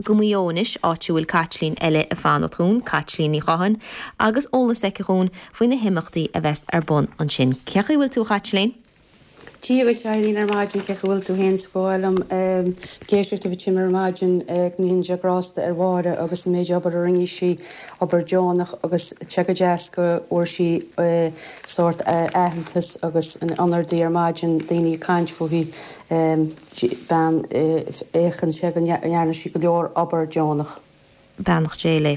Go Maigh Eo anois, áit a bhfuil Caitlín eile ag fanacht dhúinn, Caitlín Ní Chatháin, agus eolas aici dhúinn faoi na himeachtaí a bheas ar bun ansin. Cén chaoi a bhfuil tú, a Chaitlín? Dia dhuit, Eileen, ar maidin, cén chaoi a bhfuil tú féin? Is ba mhaith liom ag éisteacht libh ansin ar maidin, go ndéana Dia grásta ar Mháire agus an méid obair a rinne sí, obair deonach agus tá sé go deas go bhfuair sí sórt aitheantas agus an onóir di ar maidin, daoine ag caint fúithi. Bean, Féachann sé go ndearna sí go leor obair deonach. Beannacht Dé léi.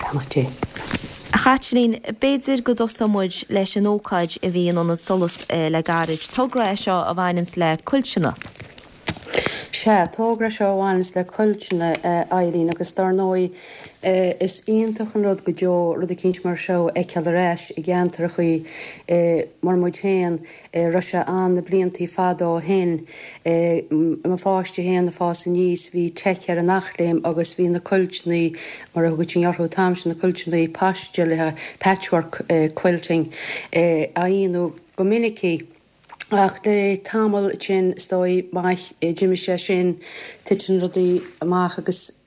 Beannacht Dé. A Chaitlín, b'fhéidir go dtosóidh muid leis an ócáid a bhí in Ionad Solas le gairid. Togra é seo a bhaineanns le cuilteanna. Sea, togra é seo a bhaineanns le cuilteanna, a Eileen, agus dar ndóigh is iontach an rud go deo rud eicínt mar seo a fheiceáil ar ais i gceantrachaí mar muid féin. Raibh sé ann na bliantaí fada ó shin. I mo pháiste féin ag fás aníos bhí Tech ar an Eachléim agus bhí na cuilteannaí, mar a thugaití orthu an t-am sin, na cuilteannaí paistéalaithe, patchwork quilting, á dhéanamh go minicí. Ach le tamall ansin is dóigh maith d'imigh sé sin, titeann rudaí amach agus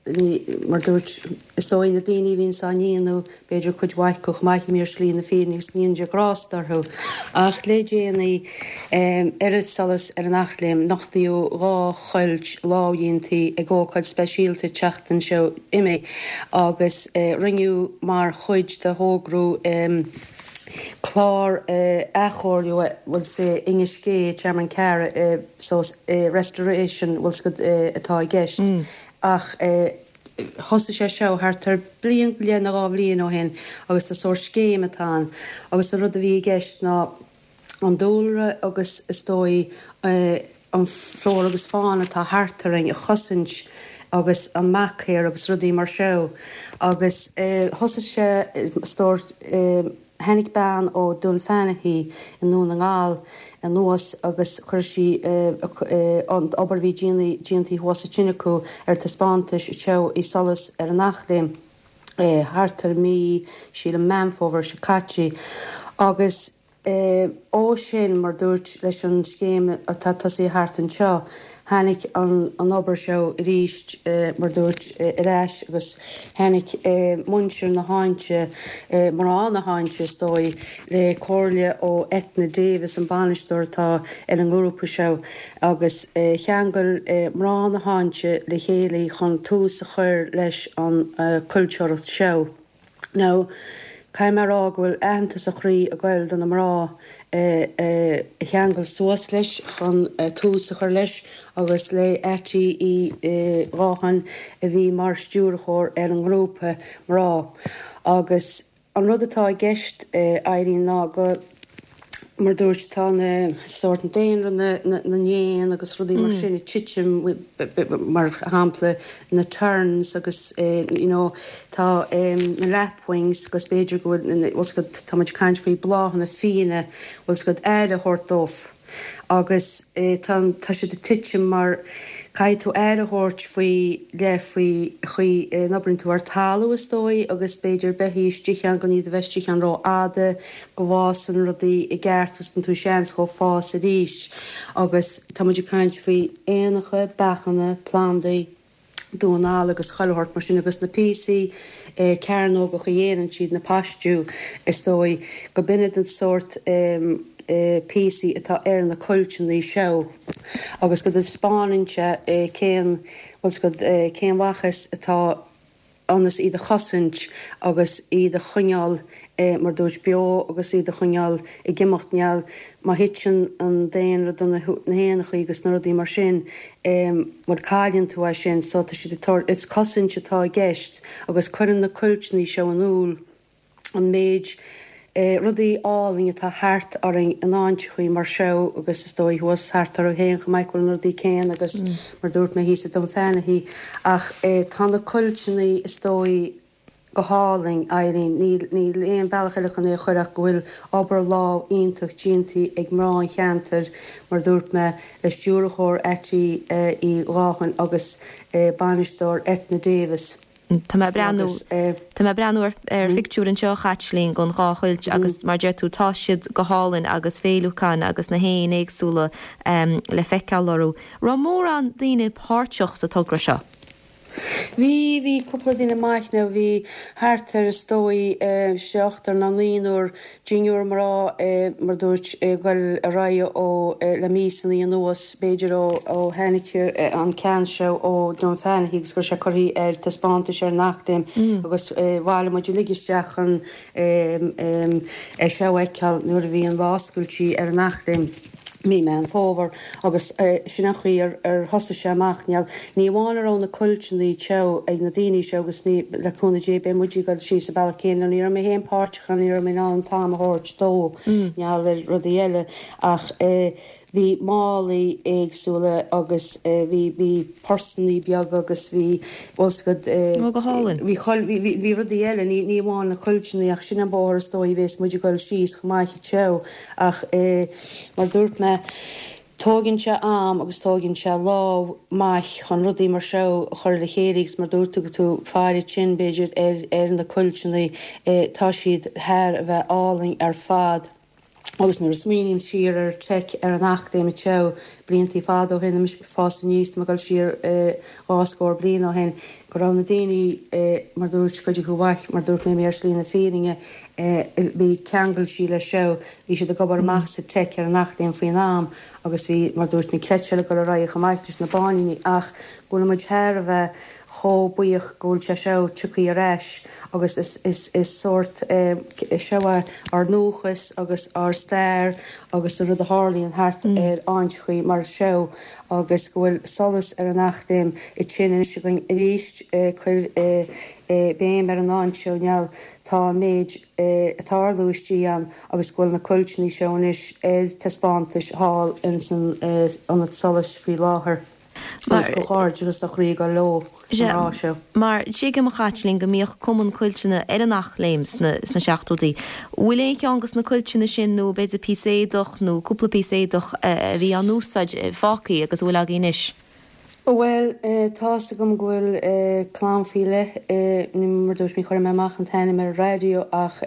mar dúirt, is dóigh na daoine a bhíonns á ndéanamh, b'fhéidir cuid mhaith acu chomh maith, imithe ar shlí na fírinne agus go ndéana Dia grásta orthu. Ach le déanaí, ar an Solas ar an Eachléim, nochtaíodh 2 chuilt lámhdhéantaí ag ócáid speisialta an tseachtain seo imigh agus rinneadh mar chuid de thogra clár athchóiriú bhfuil 's i nGaisce, Tearmann Ceara, so restoration bhfuil 's agat atá i gceist ach thosaigh sé seo thart ar bliain go leith nó 2 bhliain ó shin agus tá sórt scéim atá ann agus an rud a bhí i gceist ná an dúlra agus is dóigh an flóra agus fána atá thart orainn a chosaint agus an machair agus rudaí mar seo agus thosaigh sé is dóigh Tháinig bean ó Dunfanaghy i nDún na nGall anuas agus chuir sí an obair a bhí déantaí thuas ansin acu ar taispeántas anseo i Solas ar an Eachléim thart ar mí, sílim, Meán Fómhair seo caite agus ó sin, mar dúirt, leis an scéim atá tosaithe thart anseo, Tháinig an obair seo arís, mar dúirt, ar ais agus tháinig muintir na háite, mná na háite is dóigh, le comhairle ó Eithne Davis, an bainisteoir atá ar an ngrúpa seo, agus cheangail mná na háite le chéile chun tús a chur leis an cuilteoireacht seo. Now, caithfidh mé a rá go bhfuil aitheantas ó chroí ag goil do na mná a cheangail suas leis chun tús a chur leis agus le Attie Uí Ghátháin a bhí mar stiúrthóir ar an ngrúpa mná. Agus an rud atá i gceist, Irene, ná go, mar dúirt, tá na sórt daonra na n-éan agus rudaí mar sin ag titim, mar shampla na terns agus you know tá na lapwings agus b'fhéidir go bhfuil, bhfuil 's agat, tá muid ag caint faoi bláthanna fiaine, bhfuil 's agat, aire a thabhairt dóibh agus tá, tá siad ag titim mar caithfidh tú aire a thabhairt faoi leith faoi chaoi a n-oibríonn tú ar talamh is dóigh agus b'fhéidir beithígh istigh ann gan iad a bheith istigh ann rófhada go bhfásann rudaí i gceart agus tugann tú seans dhóibh fás arís agus tá muid ag caint faoi éanacha, beachanna, plandaí, damhán alla agus chuile shórt mar sin agus na píosaí cearnógacha a dhéanann siad, na paistiú is dóigh, go b'in iad an sórt píosaí atá ar na cuilteanna seo agus go dtaispeánann sé cén, bhfuil 's agat, cén mhaitheas atá ionas iad a chosaint agus iad a choinneáil, mar dúirt, beo agus iad a choinneáil ag imeacht. Níl, má thiteann an daonra do na héanachaí agus na rudaí mar sin, bhuel cailleann tú é sin. So tá siad ag tabhairt, it's cosaint atá i gceist agus cuireann na cuilteanna seo in iúl. an méid rudaí álainn atá thart orainn in áiteachaí mar seo agus is dóigh thuas thart oraibh féin chomh maith go bhfuil na rudaí céanna agus mar dúirt mé thíos i Dunfanaghy ach tá na cuilteanna is dóigh go hálainn Eileen níl níl aon bhealach eile chun é a chur ach go bhfuil obair lámh iontach déanta ag mná an cheantair mar dúirt mé le stiúrthóir Attie Uí Ghátháin agus bainisteoir Eithne Davis. Tá mé ag breathnú, tá mé ag breathnú ar ar phictiúr anseo a Chaitlín den dhá chuilt agus mar a deir tú tá siad go hálainn agus féiliúcháin agus na héin éagsúla le feiceáil orthu. Raibh mórán daoine páirteach sa togra seo? Bhí, bhí cúpla duine maith now, bhí thart ar is dóigh seachtar nó naonúr dinniúr mná mar dúirt ag goil ar aghaidh ó le míosannaí anuas b'fhéidir ó ó tháinig an ceann seo ó Dunfanaghy agus go raibh sé curtha ar taispeántas ar an Eachléim agus bhailigh muid uilig isteach chun é seo a fheiceáil nuair a bhí an lá oscailte ar an Eachléim. mí Meán Fómhair agus sin an chaoi ar ar thosaigh sé amach. Níl, ní amháin a raibh na cuilteanna teo ag na daoine seo agus ní, le cúnamh Dé beidh muid ag dul síos an bealach céanna, ní raibh mé féin páirteach ann, ní raibh mé in ann an t-am a thabhairt dó, mar gheall ar rudaí eile ach eh bhí málaí éagsúla agus eh bhí, bhí pursannaí beaga agus bhí, bhfuil 's agat eh Ó go hálainn. bhí chuil, bhí, bhí, bhí rudaí eile, ní, ní amháin na cuilteanna ach sin an bóthar is dóigh a bhéas muid ag dul síos chomh maith teo ach eh mar dúirt mé, tóigeann sé am agus tóigeann sé lámh maith chun rudaí mar seo a chur le chéile agus mar dúirt tú go tú faire tinn b'fhéidir ar ar na cuilteanna eh tá siad thar a bheith álainn ar fad agus nuair a smaoiním siar ar teic ar an Eachléim teo bliantaí fada ó shin, mise ag fás aníos, tá mé ag dul siar dhá scór bliain ó shin, go raibh na daoine, mar dúirt cuid acu mhaith, mar dúirt mé, ar shlí na fírinne, bhí ceangailte leis seo, bhí siad ag obair amach sa teic ar an Eachléim faoin am agus bhí, mar dúirt, na cleite ag dul ar aghaidh chomh maith leis na báiníní ach go bhfuil muid thar a bheith chomh buíoch go bhfuil sé seo tioctha ar ais agus is is sórt seo é ár ndúchas agus ár stair agus an rud a tharlaíonn thart ar áiteachaí mar seo agus go bhfuil solas ar an Eachléim ansin anois againn arís cuir béim ar an áit seo now tá an méid ag tarlú istigh ann agus go bhfuil na cuilteanna seo anois ar taispeántais thall ins an Ionad Solais faoi láthair. Agus comhghairdeachas ó chroí ag dul leo an lá seo. Mar tuigim, a Chaitlín, go mbíodh cumann cuilteanna ar an Eachléim sna seachtóidí. Bhfuil aon cheann dos na cuilteanna sin nó b'fhéidir píosa éadach nó cúpla píosa éadach a bhí á n-úsáid fágtha agus a bhfuil agaibh anois? Bhuel, tá's agam go bhfuil clann faoi leith, mar dúirt mé, chuir mé amach an t-ainm ar an raidió ach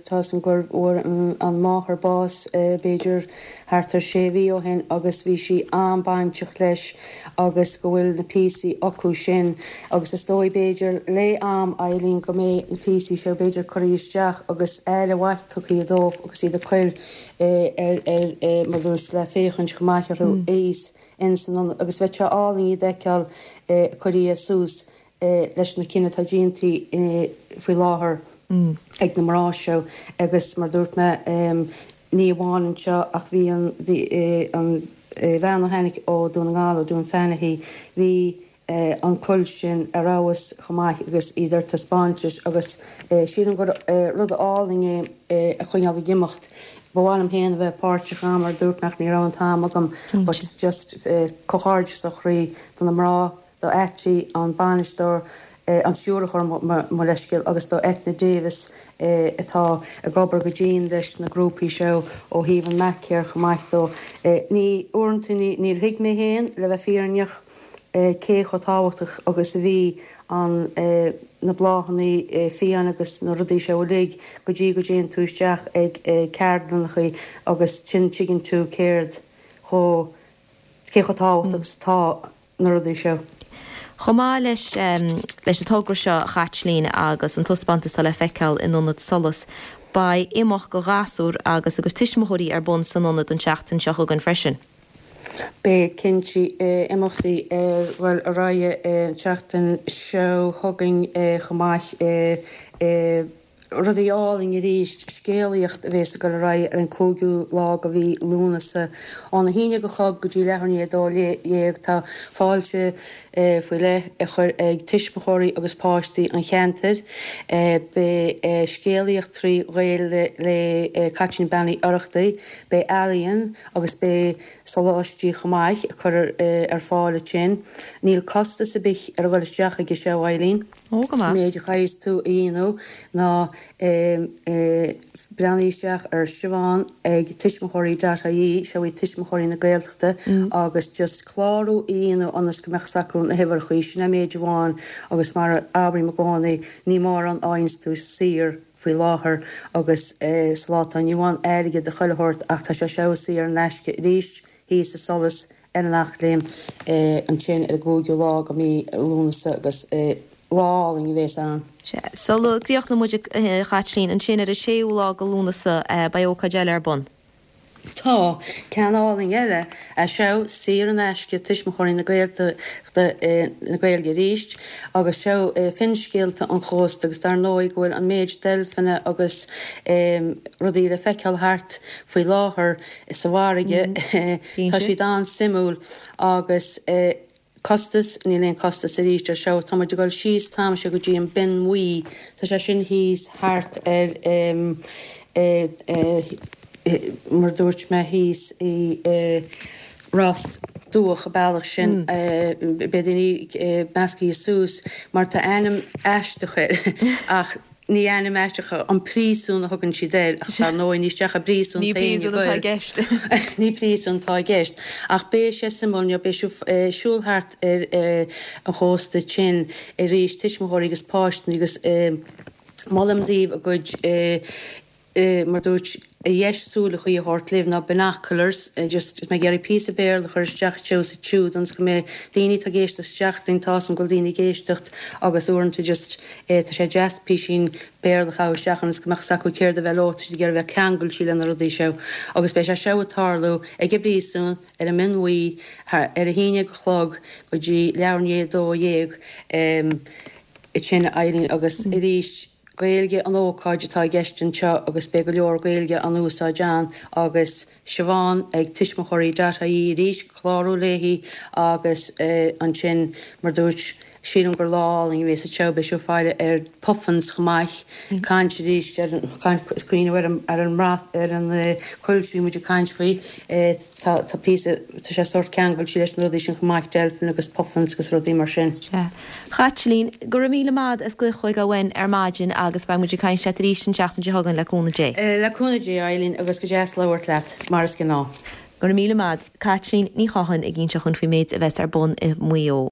tá's agam gur bhfuair an máthair bás b'fhéidir thart ar sé mhí ó shin agus bhí sí an-bainteach leis agus go bhfuil na píosaí acu sin agus is dóigh b'fhéidir le am, Eileen, go mbeidh na píosaí seo b'fhéidir curtha isteach agus aire mhaith tugtha dóibh agus iad a chur ar ar mar dúirt le féachaint chomh maith orthu thíos ins an ionad agus bheadh sé álainn iad a fheiceáil curtha suas leis na cinn atá déanta faoi láthair ag na mná seo agus mar dúirt mé ní amháin anseo ach bhí an an bhean a tháinig ó Dún na nGall, ó Dunfanaghy, bhí an cuilt sin ar fheabhas chomh maith agus iad ar taispeántas agus sílim gur rud álainn é a choinneáil ag imeacht. Ba mhaith liom féin a bheith páirteach ann mar dúirt mé ach ní raibh an t-am agam but just comhghairdeachas ó chroí do na mná do Ati, an bainisteoir, an stiúrthóir, mo leithscéal, agus do Eithne Davis atá ag obair go dian leis na grúpaí seo ó thaobh an MacCare chomh maith dó. Ní, uaireanta ní, níor thuig mé féin, le bheith fírinneach, cé chomh tábhachtach agus a bhí an, na bláthanna fiáin agus na rudaí seo uilig go dtí go dtéann tú isteach ag ceardlannachaí agus ansin tuigeann tú céard chomh cé chomh tábhachtach is atá na rudaí seo. Chomh maith leis leis an togra seo, a Chaitlín, agus an taispeántas atá le feiceáil in Ionad Solas, beidh imeacht do ghasúir agus a gcuid tuismitheoirí ar bun san ionad an tseachtain seo chugainn freisin. Beidh cinnte imeachtaí ag dul ar aghaidh an tseachtain seo chugainn chomh maith. Rudaí álainn arís, scéalaíocht a bhéas ag dul ar aghaidh ar an 5ú lá de mhí Lúnasa. Óna haon déag a chlog go dtí leathuair i ndiaidh a 12, tá fáilte faoi leith á chur ag tuismitheoirí agus páistí an cheantair. Beidh scéalaíocht trí Ghaeilge le Caitlín Bean Uí Oireachtaigh, beidh ealaíon agus beidh soláistí chomh maith á cur ar fáil ansin. Níl costas ar bith ar a dhul isteach aige seo, Eileen. Ó, go maith. An méid a chaithfeas tú a dhéanamh ná breathnaigh isteach ar Siobhán ag tuismitheoirí dot ie, seo iad Tuismitheoirí na Gaeltachta, agus just clárú a dhéanamh ionas go mbeadh 's acu na huimhreachaí, sin an méid amháin agus mar a abraím i gcónaí, ní mórán a fhaigheanns tú saor faoi láthair agus sa lá atá inniu ann, airgead do chuile shórt ach tá sé seo saor in aisce arís thíos i Solas. ar an Eachléim ansin ar an gcúigiú lá de mhí Lúnasa agus lá álainn a bhéas ann. Sea. Sula gcríochnóidh muid, a Chaitlín, ansin ar an séú lá de Lúnasa beidh ócáid eile ar bun. Tá. Ceann álainn eile é seo, saor in aisce, Tuismitheoirí na Gaeltachta, na Gaeilge arís, agus seo Finscéalta an Chósta agus dar ndóigh go bhfuil an méid deilfeanna agus rudaí le feiceáil thart faoi láthair sa bhfarraige, tá siad an-suimiúil agus. Costas, Níl aon costas arís ar seo. Tá muid ag dul síos t-am seo go dtí an Binn Bhuí. Tá sé sin thíos thart ar em eh eh mar a dúirt mé thíos i eh Ros Dumhach an bealach sin eh beidh daoine eh meascaithe suas mar tá ainm aisteach air ach Ní ainm aisteach an príosún a thugann siad air, ach dar ndóigh ní isteach i bpríosún Ní príosún atá i gceist. Ní príosún atá i gceist. Ach beidh sé suimiúil, you know, beidh sibh ag siúl thart ar an chósta sin arís, tuismitheoirí agus páistí agus molaim daoibh a gcuid, mar dúirt, a dheis súileachaí a thabhairt libh ná binoculars, just mé ag iarraidh píosa Béarla a chur isteach anseo is ansiúd ionas go mbeidh daoine atá ag éisteacht isteach linn, tá 'fhios a'm go bhfuil daoine ag éisteacht agus uaireanta just tá sé deas písín Béarla a chaitheamh isteach ionas go mbeadh 'fhios acu céard a bheith leo, tá siad ag iarraidh bheith ceangailte le na rudaí seo agus beidh sé seo ag tarlú ag an bpríosún ar an mBinn Bhuí ar a haon déag a chlog go dtí leathuair i ndiaidh a 12 ansin Eileen agus arís. Gaeilge an ócáid atá i gceist anseo agus beidh go leor Gaeilge á n-úsáid ann agus Siobhán ag tuismitheoirí dot ie arís, clárú léi agus ansin mar dúirt, sílim gur lá álainn a bhéas anseo, beidh sibh faire ar puffins chomh maith, caint arís ar an, caint, is cuimhneamh ar an, ar an mbrat, ar an coillte a bhí muid ag caint faoi, tá, tá píosa, tá sé sórt ceangailte leis na rudaí sin chomh maith, deilfeanna agus puffins agus rudaí mar sin. Sea. Chaitlín, go raibh míle maith as glaoch chugainn uainn ar maidin agus beidh muid ag caint leat arís an tseachtain seo chugainn le cúnamh Dé. Le cúnamh Dé, Eileen, agus go deas labhairt leat, mar is gnáth. Go raibh míle maith. Caitlín Ní Chatháin ag inseacht dhúinn faoin méid a bheas ar bun i Maigh Eo.